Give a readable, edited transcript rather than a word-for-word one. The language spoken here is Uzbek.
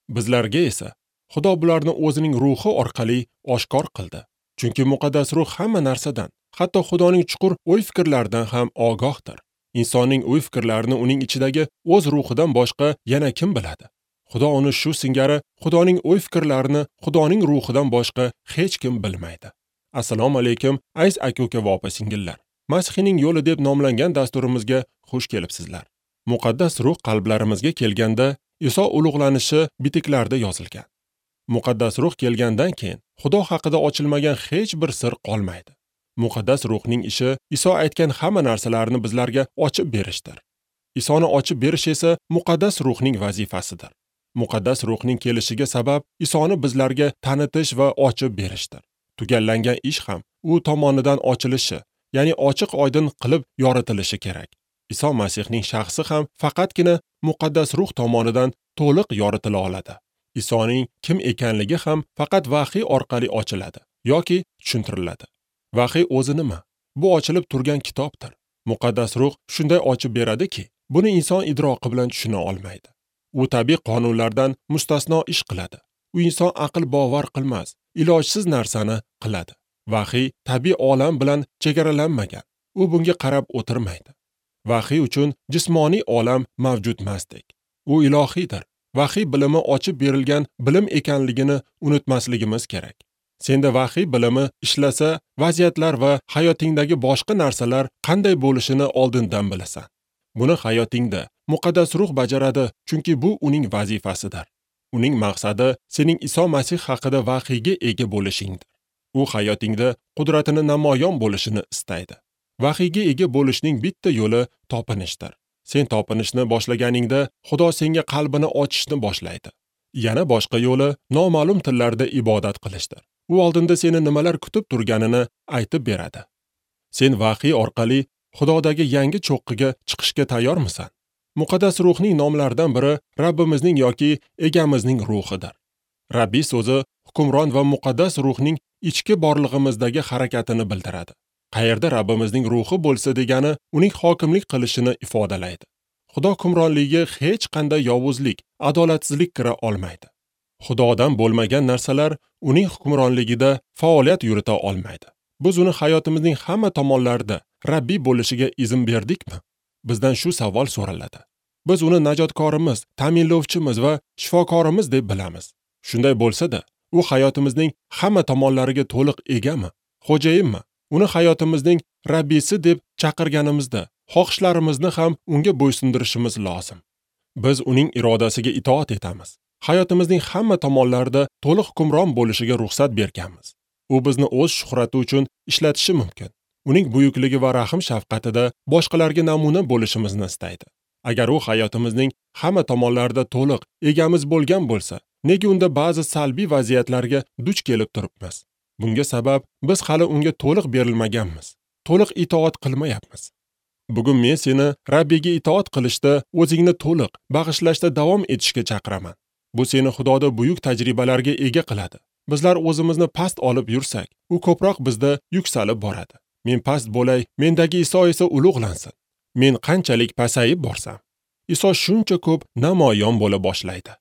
Bizlarga esa Xudo bularni o'zining ruhi orqali oshkor qildi. Chunki muqaddas ruh hamma narsadan, hatto Xudoning chuqur o'y-fikrlaridan ham ogohdir. Insonning o'y-fikrlarini uning ichidagi o'z ruhidan boshqa yana kim biladi? Xudo uni shu singari Xudoning o'y-fikrlarini Xudoning ruhidan boshqa hech kim bilmaydi. Assalomu alaykum, aziz aka-uka va opa-singillar. Masihning yo'li deb nomlangan dasturimizga xush kelibsizlar. Muqaddas ruh qalblarimizga kelganda Iso ulug'lanishi bitiklarda yozilgan. Muqaddas ruh kelgandan keyin Xudo haqida ochilmagan hech bir sir qolmaydi. Muqaddas ruhning ishi Iso aytgan hamma narsalarni bizlarga ochib berishdir. Isoni ochib berish esa muqaddas ruhning vazifasidir. Muqaddas ruhning kelishiga sabab Isoni bizlarga tanitish va ochib berishdir. Tugallangan ish ham u tomonidan ochilishi, ya'ni ochiq oydin qilib yoritilishi kerak. Iso Masihning shaxsi ham faqatgina muqaddas ruh tomonidan to'liq yoritila oladi. Isoning kim ekanligi ham faqat vahiy orqali ochiladi yoki tushuntiriladi. Vahiy o'zi nima? Bu ochilib turgan kitobdir. Muqaddas ruh shunday ochib beradiki, buni inson idroqi bilan tushuna olmaydi. U tabiiy qonunlardan mustasno ish qiladi. U inson aql bovar qilmas, ilojsiz narsani qiladi. Vahiy tabiiy olam bilan chegaralanmagan. U bunga qarab o'tirmaydi. Vahiy uchun jismoniy olam mavjud emasdek. U ilohiydir. Vahiy bilimi ochib berilgan bilim ekanligini unutmasligimiz kerak. Senda vahiy bilimi ishlasa, vaziyatlar va hayotingdagi boshqa narsalar qanday bo'lishini oldindan bilasan. Buni hayotingda muqaddas ruh bajaradi, chunki bu uning vazifasidir. Uning maqsadi sening Iso Masih haqida vahiyga ega bo'lishingdir. U hayotingda qudratini namoyon bo'lishini istaydi. Vahiyga ega bo'lishning bitta yo'li topinishdir. Sen topinishni boshlaganingda Xudo senga qalbini ochishni boshlaydi. Yana boshqa yo'li noma'lum tillarda ibodat qilishdir. U oldinda seni nimalar kutib turganini aytib beradi. Sen vahiy orqali Xudodagi yangi cho'qqiga chiqishga tayyormisan? Muqaddas ruhning nomlaridan biri Rabbimizning yoki Egamizning ruhidir. Rabbiy so'zi hukmron va muqaddas ruhning ichki borlig'imizdagi harakatini bildiradi. Qayerda Rabbimizning ruhi bo'lsa degani uning hokimlik qilishini ifodalaydi. Xudo hukmronligiga hech qanday yovuzlik, adolatsizlik kira olmaydi. Xudodan bo'lmagan narsalar uning hukmronligida faoliyat yurita olmaydi. Biz uni hayotimizning hamma tomonlarida Rabbiy bo'lishiga izn berdikmi? Bizdan shu savol so'raladi. Biz uni najotkorimiz, ta'minlovchimiz va shifokorimiz deb bilamiz. Shunday bo'lsa-da, u hayotimizning hamma tomonlariga to'liq egami? Xo'jayinmi? Uni hayotimizning Rabbisi deb chaqirganimizda, xohishlarimizni ham unga bo'ysundirishimiz lozim. Biz uning irodasiga itoat etamiz. Hayotimizning hamma tomonlarida to'liq hukmron bo'lishiga ruxsat berganmiz. U bizni o'z shuhrati uchun ishlatishi mumkin. Uning buyukligi va rahim shafqatida boshqalarga namuna bo'lishimizni istaydi. Agar u hayotimizning hamma tomonlarida to'liq egamiz bo'lgan bo'lsa, nega unda ba'zi salbiy vaziyatlarga duch kelib turibmiz? Bunga sabab biz hali unga to'liq berilmaganmiz. To'liq itoat qilmayapmiz. Bugun men seni Rabbiga itoat qilishda, o'zingni to'liq bag'ishlashda davom etishga chaqiraman. Bu seni Xudoda buyuk tajribalarga ega qiladi. Bizlar o'zimizni past olib yursak, u ko'proq bizda yuksalib boradi. Men past bo'lay, mendagi Iso esa ulug'lansin. Men qanchalik pasayib borsam, Iso shuncha ko'p namoyon bo'la boshlaydi.